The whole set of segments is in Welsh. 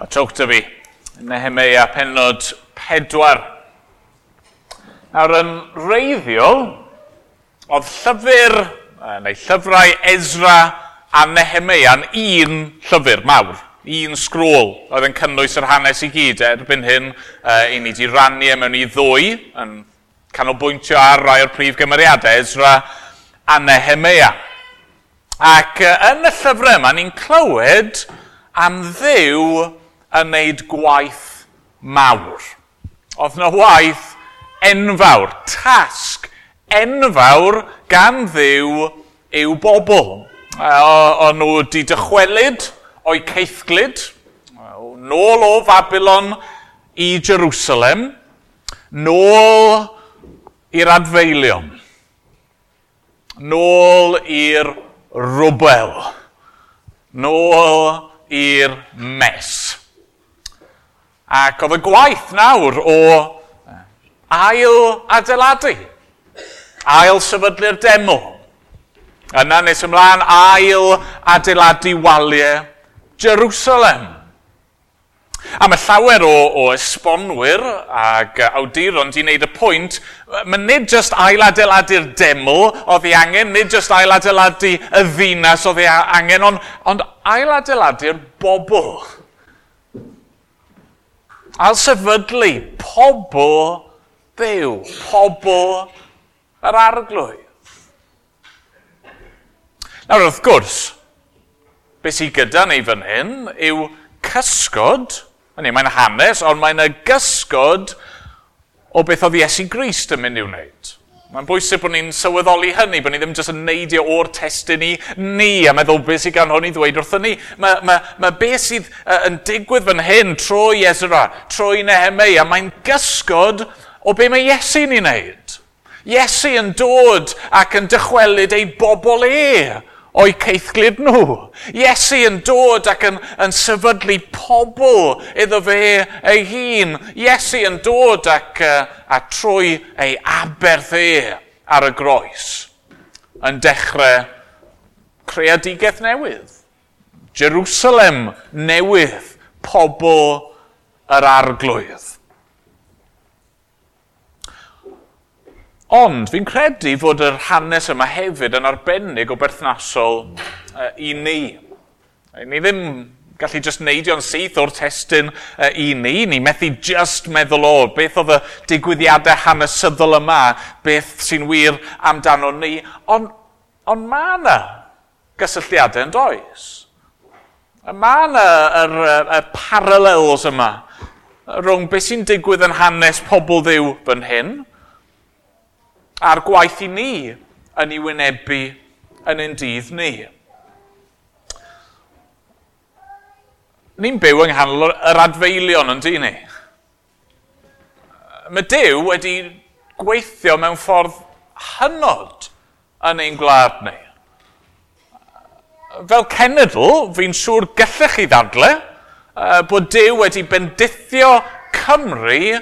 Trowch 'da fi, Nehemeia pennod 4. Nawr yn wreiddiol, oedd llyfr, neu llyfrau Ezra a Nehemeia'n un llyfr mawr, un sgrôl oedd yn cynnwys yr hanes i gyd. Erbyn hyn, i ni wedi rannu e mewn i ddwy, yn canolbwyntio ar rai o'r prif gymeriadau, Ezra a Nehemeia. Ac yn y llyfrau yma, ni'n clywed am Dduw yn wneud gwaith mawr. Oedd yna waith enfawr, tasg enfawr gan Dduw i'w bobl. O'n nhw wedi dychwelyd o'i caethglud, nôl o Fabilon i Jerusalem, nôl i'r adfeilion, nôl i'r rwbel, nôl i'r mess. Ac oedd y gwaith nawr o ail adeiladu, ail sefydlu'r deml. Yna nes ymlaen ail adeiladu waliau Jerusalem. A mae llawer o esbonwyr ac awduron di wneud y pwynt, mae nid jyst ail adeiladu'r deml oedd ei angen, nid jyst ail adeiladu y ddinas oedd ei angen, ond ail adeiladu'r bobl. Ail sefydlu pobl Dduw, pobl yr Arglwydd. Nawr wrth gwrs, beth sydd gyda ni fan hyn yw cysgod, hynny mae'n hanes, ond mae'n y gysgod o beth oedd Iesu Grist yn mynd i'w wneud. Mae'n bwysig bod ni'n sylweddoli hynny, bod ni ddim jyst yn neidio o'r testun i ni a meddwl beth sydd gan hwn i ddweud wrthyn ni. Mae beth sydd yn digwydd fan hyn trwy Ezra, trwy Nehemeia, mae'n gysgod o be mae Iesu'n ei wneud. Iesu yn dod ac yn dychwelyd ei bobl e o'i caethglud nhw. Iesu yn dod ac yn sefydlu pobl iddo fe ei hun. Iesu yn dod ac a trwy ei aberth e ar y groes yn dechrau creadigaeth newydd. Jerusalem newydd, pobl yr Arglwydd. Ond fi'n credu fod yr hanes yma hefyd yn arbennig o berthnasol i ni. Ni ddim gallu jyst neidio'n syth o'r testun i ni. Ni methu jyst meddwl o beth oedd y digwyddiadau hanesyddol yma, beth sy'n wir amdano ni. Ond mae yna gysylltiadau yn does. Mae yna y parallels yma rhwng beth sy'n digwydd yn hanes pobl Dduw fan hyn, a'r gwaith i ni yn ei wynebu yn ein dydd ni. Ni'n byw yng nghanol yr adfeilion yn dyn ni. Mae Duw wedi gweithio mewn ffordd hynod yn ein gwlad ni. Fel cenedl, fi'n siŵr gallech chi ddadle bod Duw wedi bendithio Cymru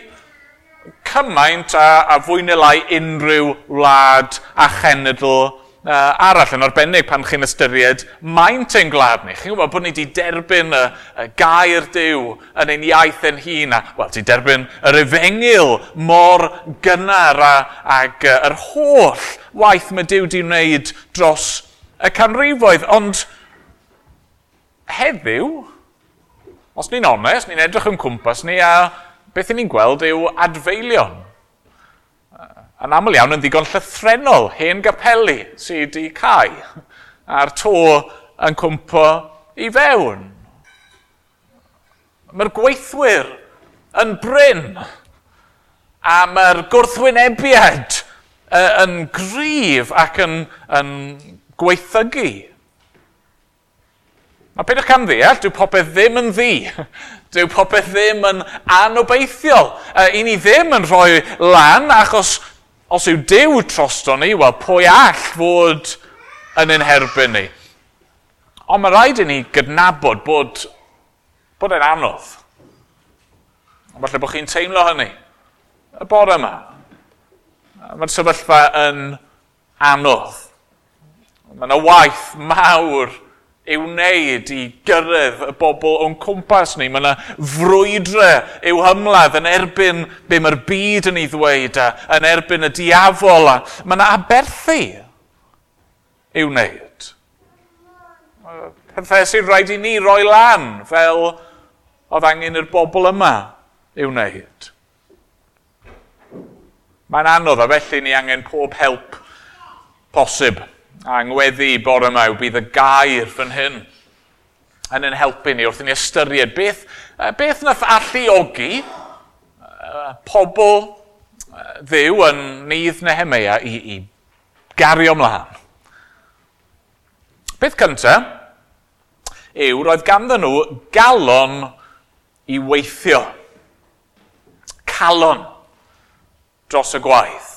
cymaint a fwy neu lai unrhyw wlad a chenedl arall, yn arbennig pan chi'n ystyried maint ein gwlad ni. Chi'n gwybod bod ni wedi derbyn y gair Duw yn ein iaith ein hun, a wel, wedi derbyn yr efengyl mor gynnar ag yr holl waith mae Duw wedi wneud dros y canrifoedd. Ond heddiw, os ni'n onest, ni'n edrych yn cwmpas ni a beth ni'n gweld yw adfeilion. Yn aml iawn yn ddigon llythrennol, hen gapeli sydd wedi cau, a'r to yn cwmpo i fewn. Mae'r gweithwyr yn brin, a mae'r gwrthwynebiad yn gryf ac yn gweithygu. Mae peidiwch camddeall, dyw popeth ddim yn ddu. Dyw popeth ddim yn anobeithiol. I ni ddim yn rhoi lan, achos os yw Duw trosto ni, wel, pwy all fod yn ein herbyn ni? Ond mae rhaid i ni gydnabod bod e'n anodd. Falle bod chi'n teimlo hynny y bore yma. Mae'r sefyllfa yn anodd. Mae yna waith mawr i'w wneud i gyrraedd y bobl o'n cwmpas ni. Mae yna frwydre i'w hymladd yn erbyn be mae'r byd yn ei ddweud a yn erbyn y diafol. A mae yna aberthu i'w wneud. Pethau sy'n rhaid i ni roi lan fel oedd angen i'r bobl yma i'w wneud. Mae'n anodd a felly ni angen pob help posib. A ngweddi bore yma yw bydd y gair fan hyn yn ein helpu ni wrth i ni ystyried beth nath alluogi pobl Dduw yn nydd Nehemeia i gario ymlaen. Peth cyntaf yw roedd ganddyn nhw galon i weithio. Calon dros y gwaith.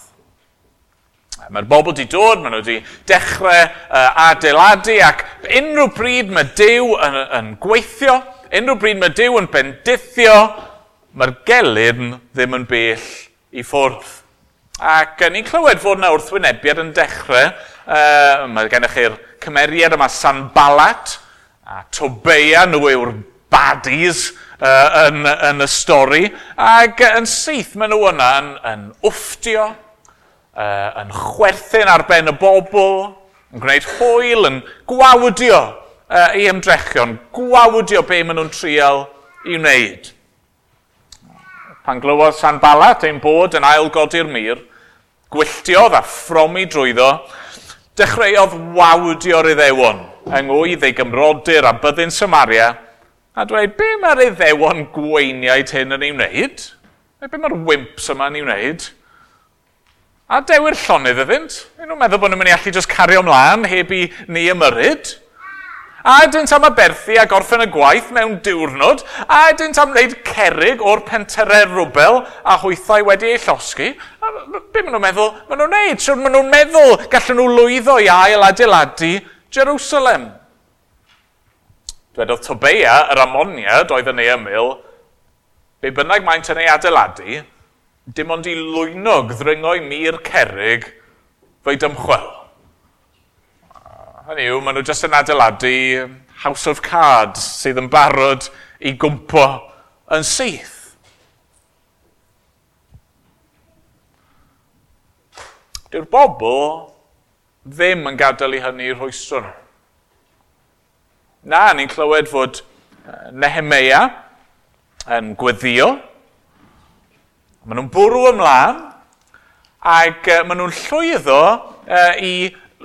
Mae'r bobl wedi dod, maen nhw wedi dechrau adeiladu ac unrhyw bryd mae Duw yn gweithio, unrhyw bryd mae Duw yn bendithio, mae'r gelyn ddim yn bell i ffwrdd. Ac ni'n clywed fod yna wrthwynebiad yn dechrau. Mae gennych chi'r cymeriad yma Sanballat a Tobeia, nhw yw'r baddies yn y stori. Ac yn syth maen nhw yna yn wfftio, yn chwerthin ar ben y bobl, yn gwneud hwyl, yn gwawdio i ymdrechion, gwawdio be maen nhw'n trial i wneud. Pan glywodd Sanballat ein bod yn ailgodi'r mur, gwylltiodd a ffromi drwyddo, dechreuodd wawdio'r Iddewon yng ngwydd ei gymrodyr a byddin Samaria, a dweud, be mae'r Iddewon gweiniaid hyn yn ei wneud? Be mae'r wimps yma yn ei wneud? A dewi'r llonydd iddynt. Maen nhw'n meddwl bod nhw'n mynd i allu just cario ymlaen heb i ni ymyrryd. A ydynt am aberthu a gorffen y gwaith mewn diwrnod. A ydynt am wneud cerrig o'r pentyrau rwbel a hwythau wedi eu llosgi. Be maen nhw'n meddwl? Maen nhw'n wneud? Siwr maen nhw'n meddwl gallen nhw lwyddo i ail adeiladu Jerusalem. Dwedodd Tobeia, yr Amoniad oedd yn ei ymyl, be bynnag maent yn ei adeiladu, dim ond i lwynog ddringo i mur cerrig fe'i dymchwel. Hynny yw, maen nhw jyst yn adeiladu House of Cards sydd yn barod i gwmpo yn syth. Dyw'r bobl ddim yn gadael i hynny rhwystro nhw. Na, ni'n clywed fod Nehemeia yn gweddio. Maen nhw'n bwrw ymlaen ac maen nhw'n llwyddo i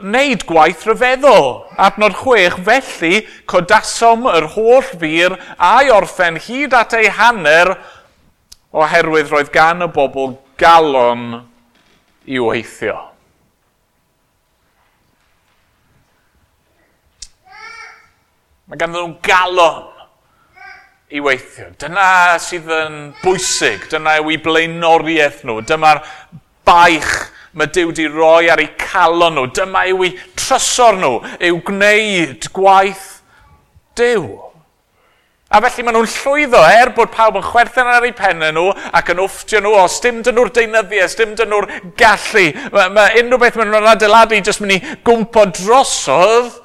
wneud gwaith rhyfeddol. Adnod 6, felly codasom yr holl fur a'i orffen hyd at ei hanner oherwydd roedd gan y bobl galon i weithio. Mae ganddyn nhw galon i weithio. Dyna sydd yn bwysig, dyna yw eu blaenoriaeth nhw, dyma'r baich mae Duw wedi roi ar eu calon nhw, dyma yw eu trysor nhw, yw gwneud gwaith Duw. A felly maen nhw'n llwyddo, er bod pawb yn chwerthin ar eu pennau nhw ac yn wfftio nhw, os dim dyn nhw'r deunyddiau, dim dyn nhw'r gallu, mae unrhyw beth maen nhw'n adeiladu jyst mynd i gwmpo drosodd.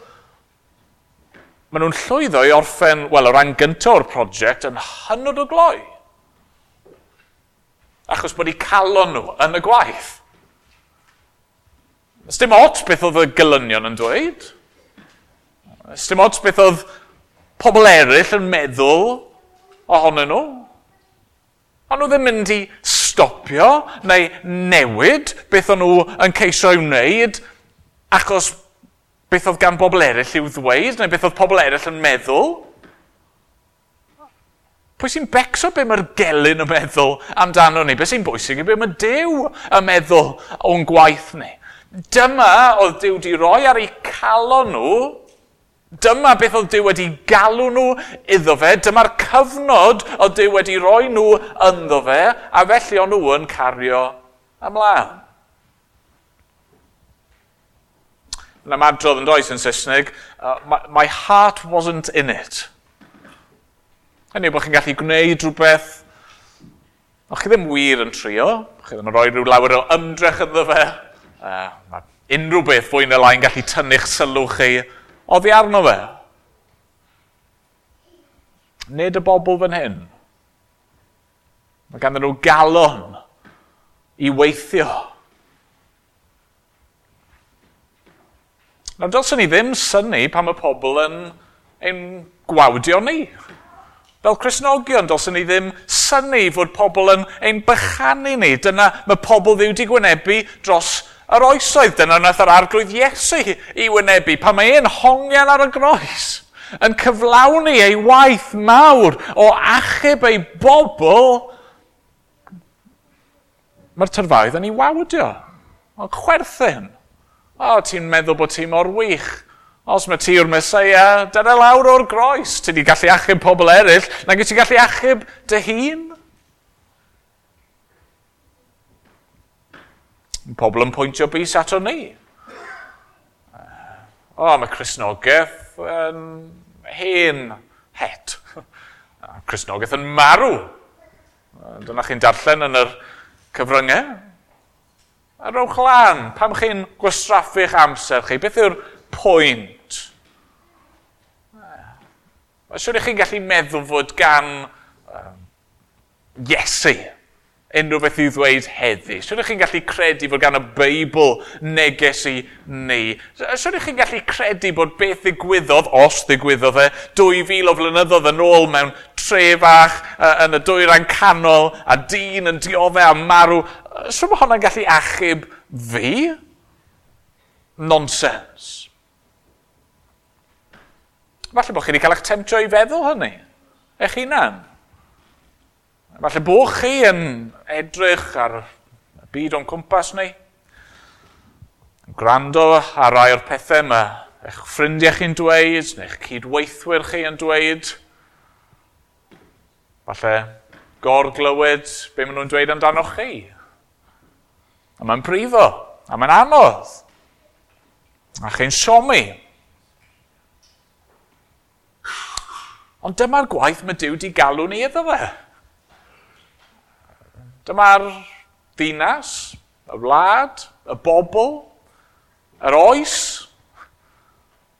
Maen nhw'n llwyddo i orffen, wel, o ran gyntaf o'r prosiect yn hynod o gloi. Achos bod eu calon nhw yn y gwaith. Dim ots beth oedd y gelynion yn dweud. Dim ots beth oedd pobl eraill yn meddwl ohonyn nhw. Ond nhw ddim mynd i stopio neu newid beth o'n nhw yn ceisio i'w wneud achos beth oedd gan bobl eraill i'w ddweud, neu beth oedd pobl eraill yn meddwl. Pwy sy'n becso be mae'r gelyn yn meddwl amdano ni? Be sy'n bwysig yw be mae Duw yn meddwl o'n gwaith ni. Dyma oedd Duw wedi roi ar eu calon nhw. Dyma beth oedd Duw wedi galw nhw iddo fe. Dyma'r cyfnod oedd Duw wedi roi nhw ynddo fe, a felly o'n nhw yn cario ymlaen. Yn ymadrodd yn does yn Saesneg, my heart wasn't in it. Hynny yw bod chi'n gallu gwneud rhywbeth, ond chi ddim wir yn trio, chi ddim yn rhoi rhyw lawer o ymdrech ynddo fe. Mae unrhyw beth fwy neu lai'n gallu tynnu'ch sylw chi oddi arno fe. Nid y bobl fan hyn. Mae ganddyn nhw galon i weithio. Nawr, dylswn ni ddim synnu pan mae pobl yn ein gwawdio ni. Fel Cristnogion, dylswn ni ddim synnu fod pobl yn ein bychanu ni. Dyna mae pobl Dduw 'di gwynebu dros yr oesoedd. Dyna wnaeth yr Arglwydd Iesu i wynebu pan mae e'n hongian ar y groes, yn cyflawni ei waith mawr o achub ei bobl. Mae'r tyrfaoedd yn ei wawdio. Mae'n chwerthin. O, ti'n meddwl bod ti mor wych. Os mae ti yw'r Meseia, dyna lawr o'r groes. Ti wedi gallu achub pobl eraill, nag wyt ti'n gallu achub dy hun? Pobl yn pwyntio bys ato ni. O, mae Cristnogaeth yn hen het. Cristnogaeth yn marw. Dyna chi'n darllen yn yr cyfryngau. A rowch lan, pam chi'n gwastraffu'ch amser chi? Beth yw'r pwynt? Mae'n siŵr i chi'n gallu meddwl fod gan Iesu unrhyw beth i'w ddweud heddi. Siŵr i chi'n gallu credu fod gan y Beibl neges i ni. Siŵr i chi'n gallu credu bod beth ddigwyddodd, os ddigwyddodd e, 2000 o flynyddoedd yn ôl mewn tre fach yn y dwyrain canol a dyn yn dioddef a marw. Siŵr bod hwnna'n gallu achub fi? Nonsens. Falle bod chi wedi cael eich temtio i feddwl hynny, eich hunan. Falle bod chi yn edrych ar y byd o'n cwmpas ni, yn gwrando ar rai o'r pethau mae eich ffrindiau chi'n dweud, neu eich cydweithwyr chi yn dweud. Falle gorglywed be maen nhw'n dweud amdanoch chi. A mae'n brifo, a mae'n anodd. A chi'n siomi. Ond dyma'r gwaith mae Duw wedi galw ni iddo fe. Dyma'r ddinas, y wlad, y bobl, yr oes.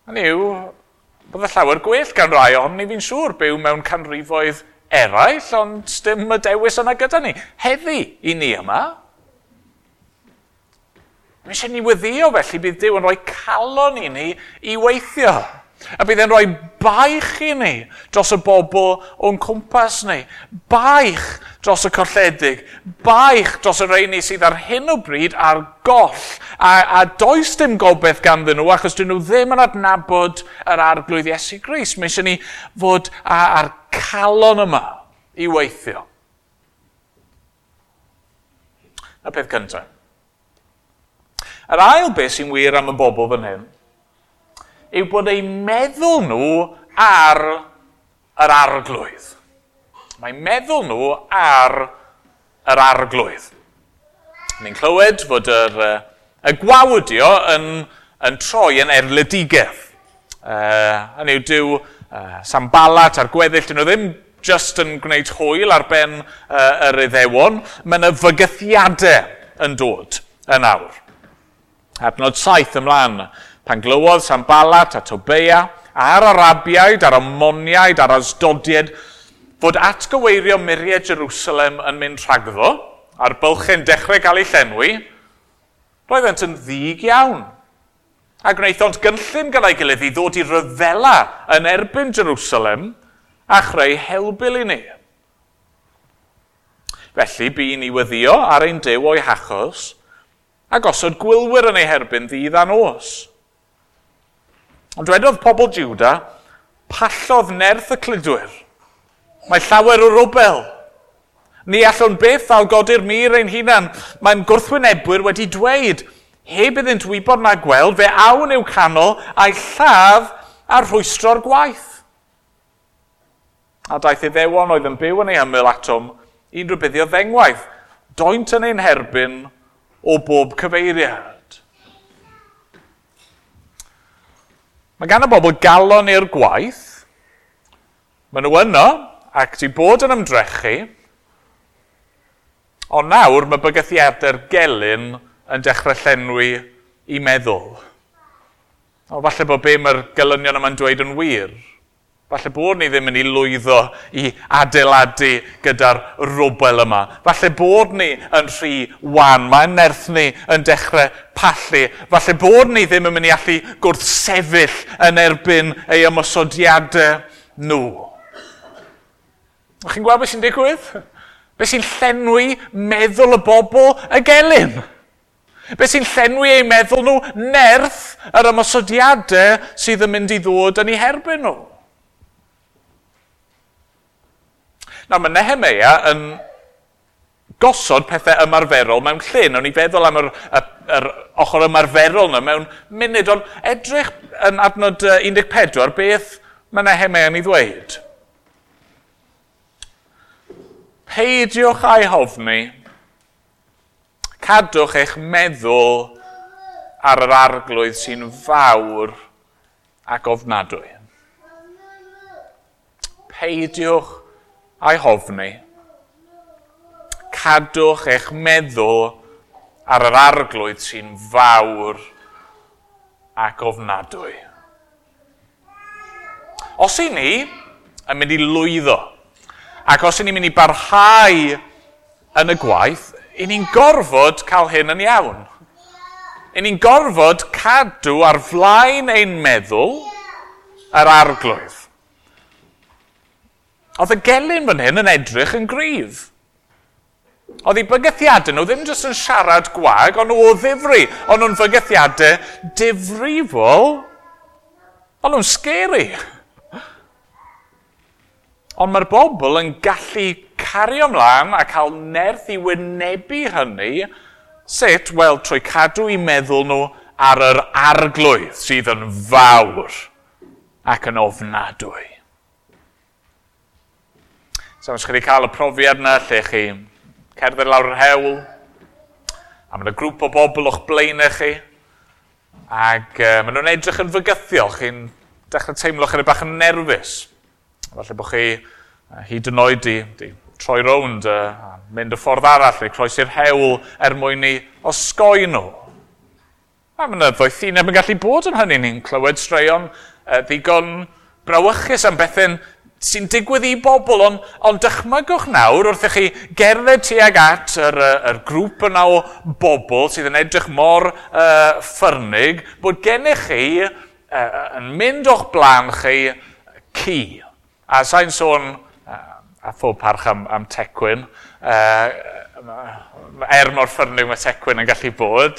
Hynny yw, bydde llawer gwell gan rai ond ni fi'n siŵr byw mewn canrifoedd eraill, ond dim y dewis yna gyda ni. Heddi i ni yma. Mae eisiau ni weddïo felly bydd Duw yn rhoi calon i ni i weithio. A bydd e'n rhoi baich i ni dros y bobl o'n cwmpas ni. Baich dros y colledig. Baich dros y rheini sydd ar hyn o bryd ar goll. A does dim gobaith ganddyn nhw achos dyn nhw ddim yn adnabod yr Arglwydd Iesu Grist. Mae eisiau ni fod ar calon yma i weithio. Y peth cyntaf. Yr ail beth sy'n wir am y bobl fan hyn yw bod eu meddwl nhw ar yr Arglwydd. Mae meddwl nhw ar yr Arglwydd. Ni'n clywed fod y gwawdio yn troi yn erledigaeth. Hynny yw, dyw Sanballat a'r gweddill, dyn nhw ddim just yn gwneud hwyl ar ben yr Iddewon. Mae yna fygythiadau yn dod yn awr. Adnod 7 ymlaen. Pan glywodd Sanballat a Tobeia a'r Arabiaid, a'r Ammoniaid, a'r Asdodiaid, fod atgyweirio muriau Jerusalem yn mynd rhagddo, a'r bylchau'n dechrau cael eu llenwi, roeddent yn ddig iawn. A gwnaethont gynllun gyda'i gilydd i ddod i ryfela yn erbyn Jerusalem a chreu helbul i ni. Felly bu ni weddïo ar ein Duw o'i hachos a gosod gwylwyr yn ei herbyn ddydd a nos. Ond dwedodd pobl Juda, pallodd nerth y cludwyr. Mae llawer o rwbel. Ni allwn byth ailgodi'r mur ein hunan. Mae'n gwrthwynebwyr wedi dweud, heb iddynt wybod na gweld, fe awn i'w canol a'i lladd a rhwystro'r gwaith. A daeth Iddewon oedd yn byw yn ei ymyl atom i'n rhybuddio ddengwaith. Doent yn ein herbyn o bob cyfeiriad. Mae gan y bobl galon i'r gwaith. Maen nhw yno ac wedi bod yn ymdrechu. Ond nawr mae bygythiadau'r gelyn yn dechrau llenwi i meddwl. O, falle bod be mae'r gelynion yma'n dweud yn wir. Falle bod ni ddim yn ei lwyddo i adeiladu gyda'r rwbel yma. Falle bod ni yn rhy wan, mae'n nerth ni yn dechrau pallu. Falle bod ni ddim yn mynd i allu gwrthsefyll yn erbyn ei ymosodiadau nhw. Chi'n gweld beth sy'n digwydd? Beth sy'n llenwi meddwl y bobl y gelyn? Beth sy'n llenwi eu meddwl nhw? Nerth yr ymosodiadau sydd yn mynd i ddod yn eu herbyn nhw. Nawr, mae Nehemeia yn gosod pethau ymarferol mewn lle. Nawn ni feddwl am yr ochr ymarferol yna mewn munud, ond edrych yn adnod 14, beth mae Nehemeia yn ei ddweud? Peidiwch â'i hofni, cadwch eich meddwl ar yr arglwydd sy'n fawr ac ofnadwy. Peidiwch a'i hofni, cadwch eich meddwl ar yr arglwydd sy'n fawr ac ofnadwy. Os i ni yn mynd i lwyddo, ac os i ni'n mynd i barhau yn y gwaith, i ni'n gorfod cael hyn yn iawn. I ni'n gorfod cadw ar flaen ein meddwl yr arglwydd. Oedd y gelyn fan hyn yn edrych yn gryf. Oedd eu bygythiadau nhw ddim jyst yn siarad gwag, ond nhw o ddifri. Ond nhw'n fygythiadau difrifol, ond nhw'n scary. Ond mae'r bobl yn gallu cario ymlaen a cael nerth i wynebu hynny. Sut? Wel, trwy cadw eu meddwl nhw ar yr arglwydd sydd yn fawr ac yn ofnadwy. So, os chi wedi cael y profiad yna lle chi cerdded lawr yr hewl, a mae yna grŵp o bobl o'ch blaenau chi, ac maen nhw'n edrych yn fygythiol, chi'n dechrau teimlo chydig bach yn nerfus. Falle bod chi hyd yn oed di troi rownd a mynd y ffordd arall, neu croesi'r hewl er mwyn i osgoi nhw. A mae yna ddoethineb yn gallu bod yn hynny. Ni'n clywed straeon ddigon brawychus am bethau'n sy'n digwydd i bobl, ond dychmygwch nawr wrth i chi gerdded tuag at yr grŵp yna o bobl sydd yn edrych mor ffyrnig, bod gennych chi yn mynd o'ch blaen chi ci. A sa'n sôn, a phob parch am Tecwyn, er mor ffyrnig mae Tecwyn yn gallu bod,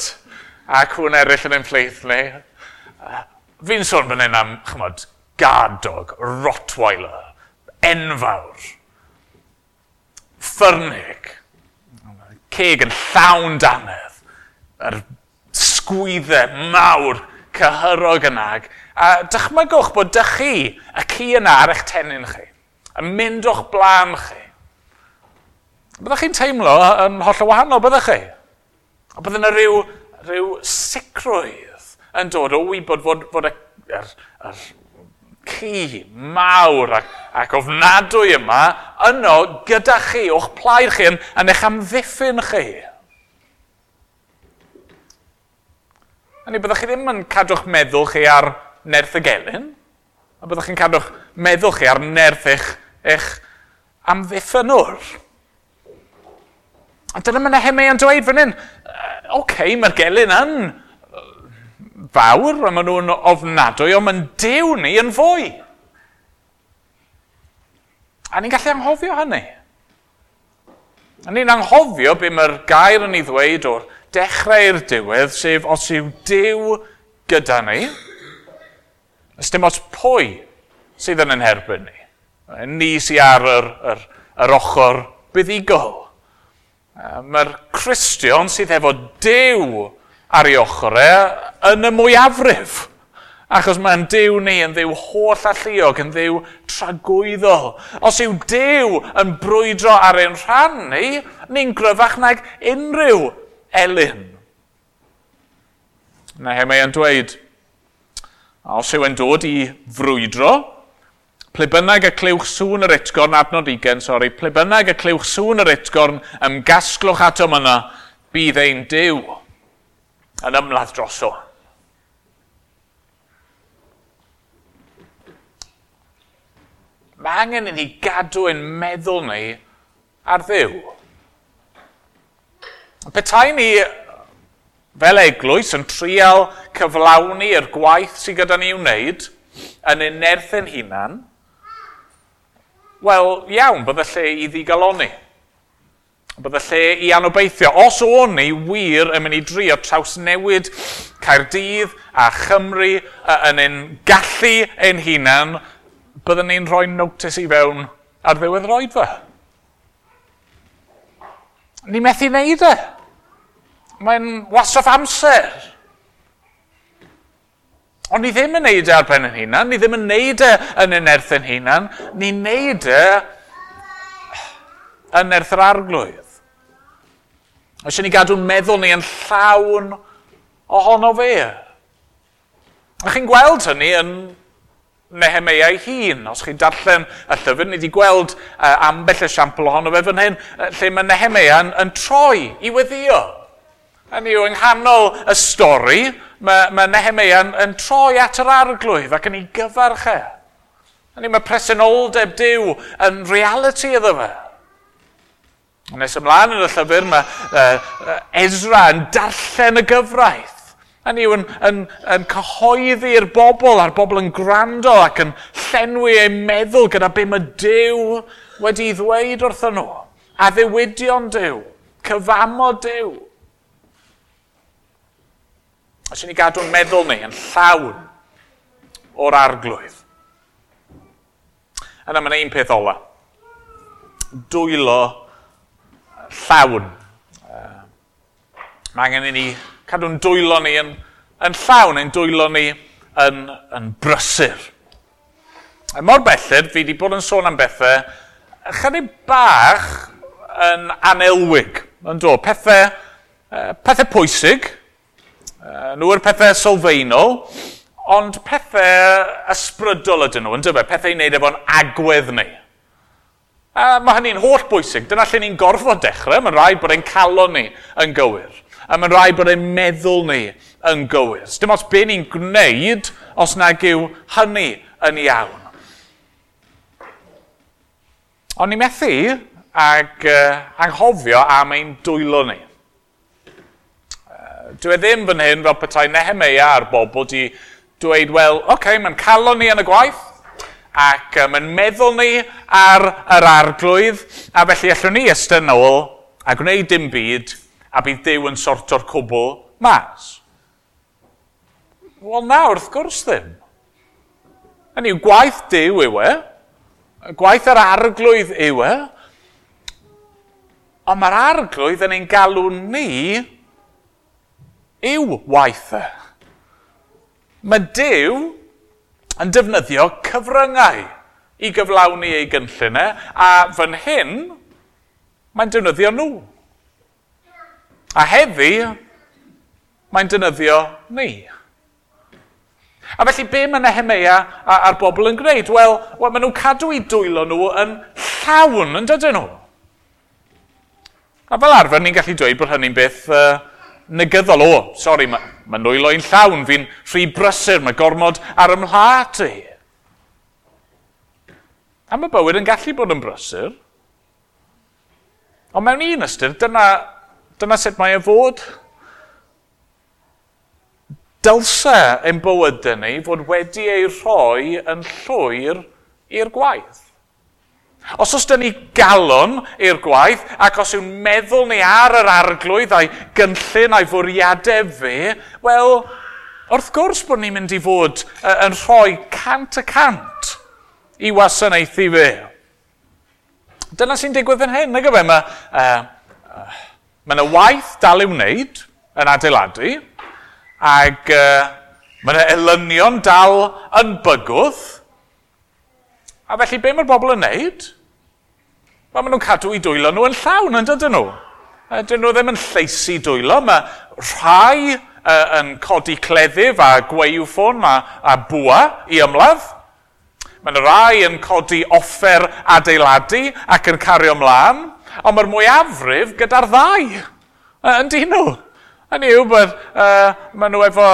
a cwn eraill yn ein plith ni. Fi'n sôn fan hyn am, chymod, guard dog, Rottweiler, enfawr, ffyrnig, ceg yn llawn dannedd, yr sgwyddau mawr cyhyrog yna. A dychmygwch bod dych chi, y ci yna ar eich tennyn chi, yn mynd o'ch blaen chi. Byddech chi'n teimlo yn hollol wahanol, byddech chi? A bydde yna rhyw sicrwydd yn dod o wybod fod yr ci mawr ac ofnadwy yma yno gyda chi, o'ch plaid chi, yn eich amddiffyn chi. A ni byddwch chi ddim yn cadw'ch meddwl chi ar nerth y gelyn, a byddwch chi'n cadw'ch meddwl chi ar nerth eich amddiffynwr. A dyna mae Nehemia yn dweud fan hyn, okay, mae'r gelyn yn fawr, a maen nhw'n ofnadwy, ond mae'n Duw ni yn fwy. A ni'n gallu anghofio hynny. A ni'n anghofio be mae'r gair yn ei ddweud o'r dechrau i'r diwedd, sef os yw Duw gyda ni, ys dim ots pwy sydd yn ein herbyn ni. Ni sydd ar yr ochr buddugol. Mae'r Cristion sydd efo Duw ar ei ochr e yn y mwyafrif. Achos mae'n Duw ni yn Dduw holl alluog, yn Dduw tragwyddol. Os yw Duw yn brwydro ar ein rhan ni, ni'n gryfach nag unrhyw elyn. Nehemia yn dweud, os yw e'n dod i frwydro, ple bynnag y clywch sŵn yr utgorn, adnod 20, sori, ple bynnag y clywch sŵn yr utgorn, ymgasglwch atom yna, bydd ein Duw yn ymladd droso. Mae angen i ni gadw ein meddwl ni ar Dduw. Petai ni fel eglwys yn trial cyflawni yr gwaith sydd gyda ni i'w wneud yn ein nerth ein hunan, wel, iawn, bydde lle i ddigaloni. Bydde lle i anobeithio. Os o'n ni wir yn mynd i drio trawsnewid Caerdydd a Chymru yn ein gallu ein hunan, byddwn ni'n rhoi notice i fewn ar ddiwedd yr oedfa. Ni methu wneud e. Mae'n wastraff amser. Ond ni ddim yn neud e ar ben ein hunan, ni ddim yn neud e yn ein nerth ein hunan, ni'n neud e yn nerth yr Arglwydd. Eisiau ni gadw'n meddwl ni yn llawn ohono fe. A chi'n gweld hynny yn Nehemeia ei hun. Os chi'n darllen y llyfr, ni wedi gweld ambell esiampl ohono fe fan hyn, lle mae Nehemeia yn troi i weddio. Hynny yw, yng nghanol y stori, mae Nehemeia yn troi at yr Arglwydd ac yn ei gyfarch e. Hynny, mae presenoldeb Duw yn reality iddo fe. Nes ymlaen yn y llyfr, mae Ezra yn darllen y gyfraith. Hynny yw, yn cyhoeddi'r bobl, a'r bobl yn gwrando ac yn llenwi eu meddwl gyda be mae Duw wedi ddweud wrthyn nhw. Addewidion Duw, cyfamod Duw. Os ni gadw'n meddwl ni yn llawn o'r Arglwydd. Yna mae'n un peth ola. Dwylo llawn. Mae angen i ni cadw'n dwylo ni yn llawn, ein dwylo ni yn brysur. A mor belled, fi wedi bod yn sôn am bethau chydig bach yn anelwig. Yn do, pethau pwysig, nhw yw'r pethau sylfaenol, ond pethau ysbrydol ydyn nhw, yn dyfe, pethau i wneud efo'n agwedd ni. A mae hynny'n holl bwysig. Dyna lle ni'n gorfod dechrau. Mae'n rhaid bod ein calon ni yn gywir. A mae'n rhaid bod ein meddwl ni yn gywir. Dim ots be ni'n gwneud os nag yw hynny yn iawn. Ond ni methu ag anghofio am ein dwylo ni. Dwi ddim fan hyn fel petai Nehemeia a'r bobl di dweud, wel, oce, mae'n calon ni yn y gwaith, ac mae'n meddwl ni ar yr Arglwydd, a felly allwn ni estyn nôl a gwneud dim byd, a bydd Duw yn sorto'r cwbl mas. Wel na, wrth gwrs ddim. Hynny yw, gwaith Duw yw e, gwaith yr Arglwydd yw e, ond mae'r Arglwydd yn ein galw ni i'w waith e. Mae Duw yn defnyddio cyfryngau i gyflawni ei gynllun e, a fan hyn, mae'n defnyddio nhw. A heddi, mae'n defnyddio ni. A felly, be mae Nehemeia a'r bobl yn gwneud? Wel, maen nhw'n cadw eu dwylo nhw yn llawn, yn dydyn nhw? A fel arfer, ni'n gallu dweud bod hynny'n beth negyddol. O, sori, mae nwylo i'n llawn, fi'n rhy brysur, mae gormod ar ymhlat i. A mae bywyd yn gallu bod yn brysur. Ond mewn un ystyr, dyna sut mae e fod. Dylse ein bywydau ni fod wedi ei rhoi yn llwyr i'r gwaith. Os oes dyn ni galon i'r gwaith, ac os yw'n meddwl ni ar yr Arglwydd a'i gynllun a'i fwriadau fe, wel, wrth gwrs bod ni'n mynd i fod yn rhoi 100% i wasanaethu fe. Dyna sy'n digwydd yn hyn, nag yw e? Mae yna waith dal i'w wneud yn adeiladu, ac mae yna elynion dal yn bygwth. A felly, be mae'r bobl yn wneud? Wel, maen nhw'n cadw eu dwylo nhw yn llawn, yn dydyn nhw? Dyn nhw ddim yn lleisu dwylo. Mae rhai yn codi cleddyf a gwaywffon a bwa i ymladd. Mae yna rai yn codi offer adeiladu ac yn cario ymlaen. Ond mae'r mwyafrif gyda'r ddau, yn dyn nhw. Hynny yw bod maen nhw efo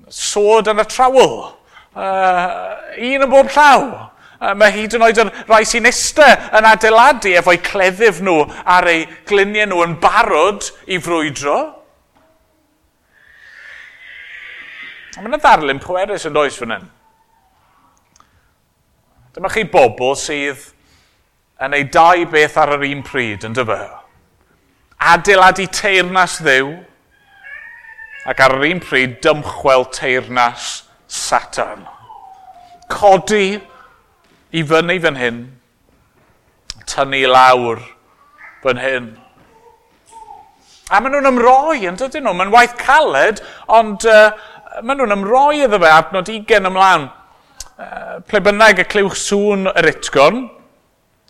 sword and a trowel. Un yn bob llaw. Mae hyd yn oed yn rhai sy'n iste yn adeiladu efo'u cleddyf nhw ar eu gliniau nhw yn barod i frwydro. Mae yna ddarlun pwerus yn does fan hyn. Dyma chi bobl sydd yn ei dau beth ar yr un pryd, yn dyfa. Adeiladu teyrnas Dduw ac ar yr un pryd dymchwel teyrnas Satan. Codi i fyny fan hyn, tynnu lawr fan hyn. A maen nhw'n ymroi, yn dydyn nhw? Mae'n waith caled, ond maen nhw'n ymroi iddo fe, adnod 20 ymlaen. Ple bynnag y clywch sŵn yr utgorn,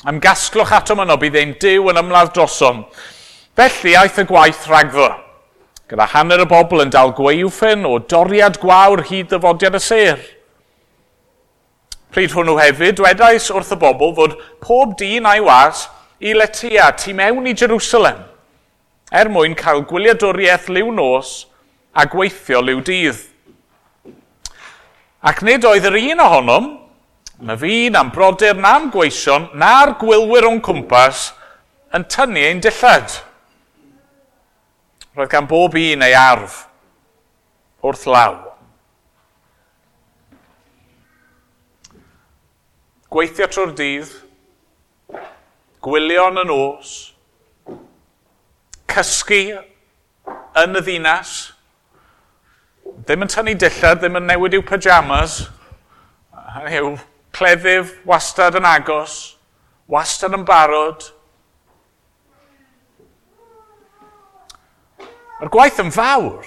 ymgasglwch atom yno, bydd ein Duw yn ymladd drosom. Felly aeth y gwaith rhagddo, gyda hanner y bobl yn dal gwaywffyn o doriad gwawr hyd ddyfodiad y sêr. Pryd hwnnw hefyd, dwedais wrth y bobl fod pob dyn a'i was i letia tu mewn i Jerusalem, er mwyn cael gwyliadwriaeth liw nos a gweithio liw dydd. Ac nid oedd yr un ohonom, na fi, na'n brodyr, na'n gweision, na'r gwylwyr o'n cwmpas, yn tynnu ein dillad. Roedd gan bob un ei arf wrth law. Gweithio trwy'r dydd, gwylio yn y nos, cysgu yn y ddinas, ddim yn tynnu dillad, ddim yn newid i'w pyjamas, yw cleddyf wastad yn agos, wastad yn barod. Mae'r gwaith yn fawr.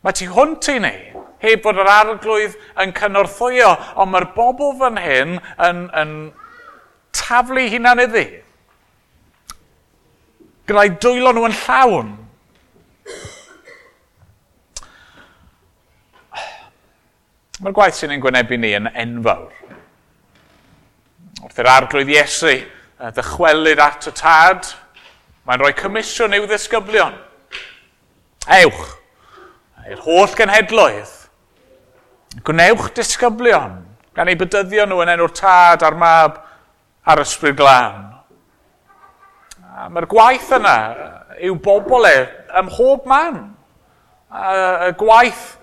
Mae tu hwnt i ni, heb fod yr arglwydd yn cynorthwyo, ond mae'r bobl fan hyn yn taflu hunan iddi. Gyda'i dwylo nhw yn llawn. Mae'r gwaith sy'n ein gwynebu ni yn enfawr. Wrth i'r arglwydd Iesu ddychwelyd at y tad, mae'n rhoi comisiwn i'w ddisgyblion. Ewch i'r holl genhedloedd, gwnewch disgyblion, gan eu bedyddio nhw yn enw'r tad a'r mab a'r ysbryd glân. A mae'r gwaith yna i'w bobl e ym mhob man. Y gwaith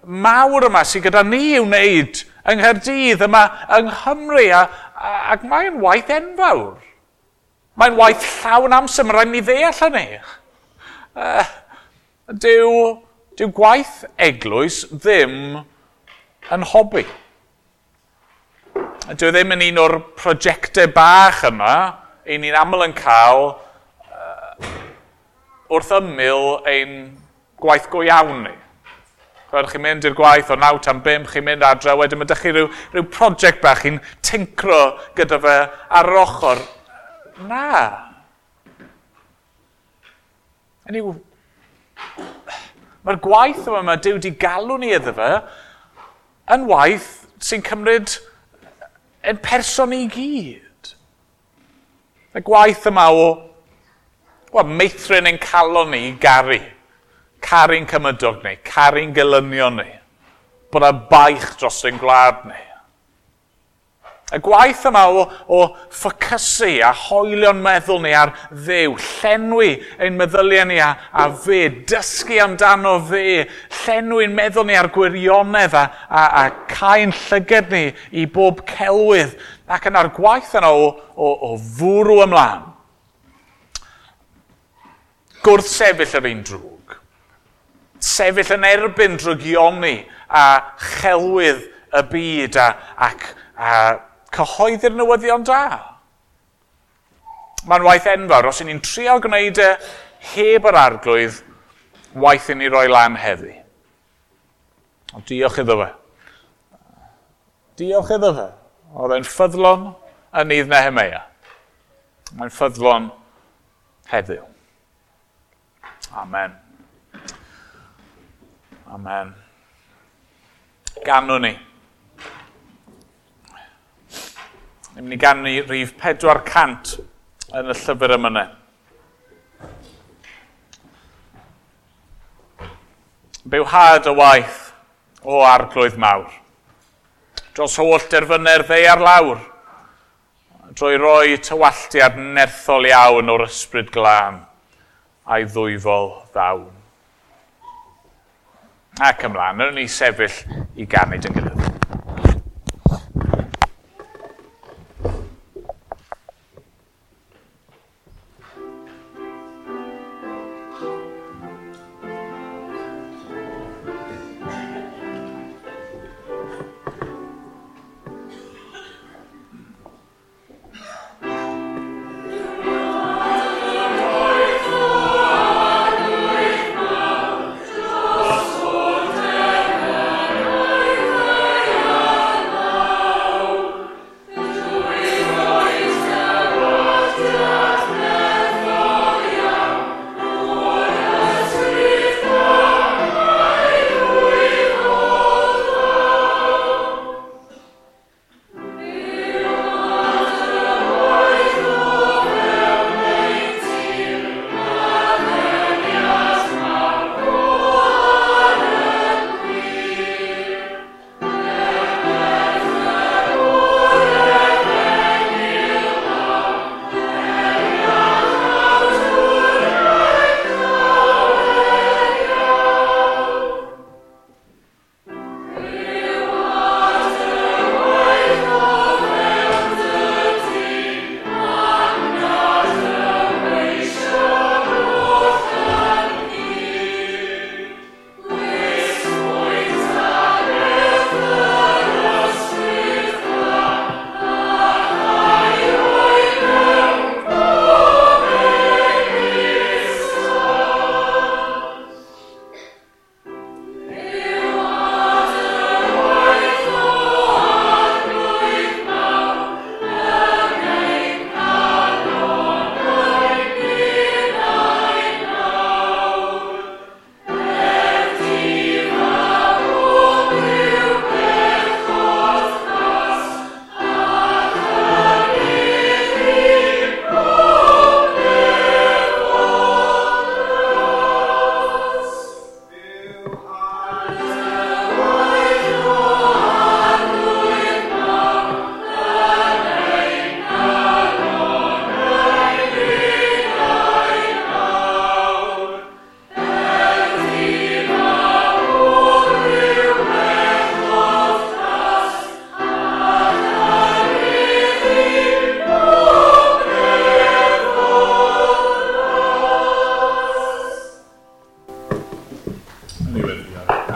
mawr yma sydd gyda ni i'w wneud yng Nghaerdydd, yma yng Nghymru, ac mae'n waith enfawr. Mae'n waith llawn amser, mae'n rhaid ni ddeall hynny. Dyw gwaith eglwys ddim yn hobi. Dyw ddim yn un o'r prosiectau bach yma, ein ni'n aml yn cael wrth ymyl ein gwaith go iawn ni. Chwed, chi'n mynd i'r gwaith o 9 tan 5, chi'n mynd adre, wedyn mae chi rhyw prosiect bach chi'n tincro gyda fe ar yr ochr. Na. Hynny yw, mae'r gwaith yma mae Duw wedi galw ni iddo fe yn waith sy'n cymryd yn person i gyd. Y gwaith yma o meithrin ein calon ni i garu. Caru'n cymydog ni, caru'n gelynion ni, bod y baich dros ein gwlad ni. Y gwaith yma o ffocysu a hoelio'n meddwl ni ar Dduw, llenwi ein meddyliau ni a fe, dysgu amdano fe, llenwi'n meddwl ni ar gwirionedd a cau'n llyged ni i bob celwydd, ac yna'r gwaith yna o fwrw ymlaen. Gwrthsefyll yr un drwg. Sefyll yn erbyn drygioni a chelwydd y byd ac cyhoeddi'r newyddion da. Mae'n waith enfawr. Os y'n ni'n trial gwneud e heb yr arglwydd, waith i ni roi lan heddi. Ond diolch iddo fe. Diolch iddo fe. Oedd e'n ffyddlon yn nydd Nehemeia. Mae'n ffyddlon heddiw. Amen. Amen. Ganwn ni. Ni'n mynd i ganu rhif 400 yn y llyfr emynau. Bywhad y waith o arglwydd mawr. dros holl derfynau'r ddaear lawr, drwy roi tywalltiad nerthol iawn o'r ysbryd glân a'i ddwyfol ddawn. Ac ymlaen, rydyn ni sefyll i ganu dyn gilydd.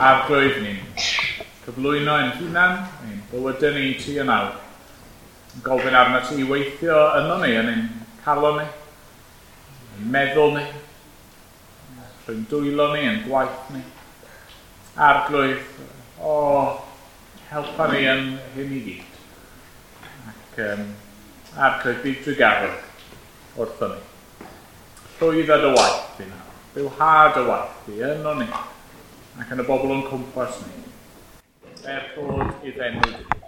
Arglwydd, ni'n cyflwyno ein hunan, ein bywydau ni ti yn awr. Yn gofyn arno ti i weithio yno ni, yn ein calon ni, yn meddwl ni, trwy'n dwylo ni, yn gwaith ni. Arglwydd, o, helpa ni yn hyn i gyd. Ac Arglwydd, bydd drugarog wrtho ni. Llwydda dy waith i nawr, bywha dy waith i yno ni, ac yn y bobl o'n cwmpas ni. Er clod idd enw di.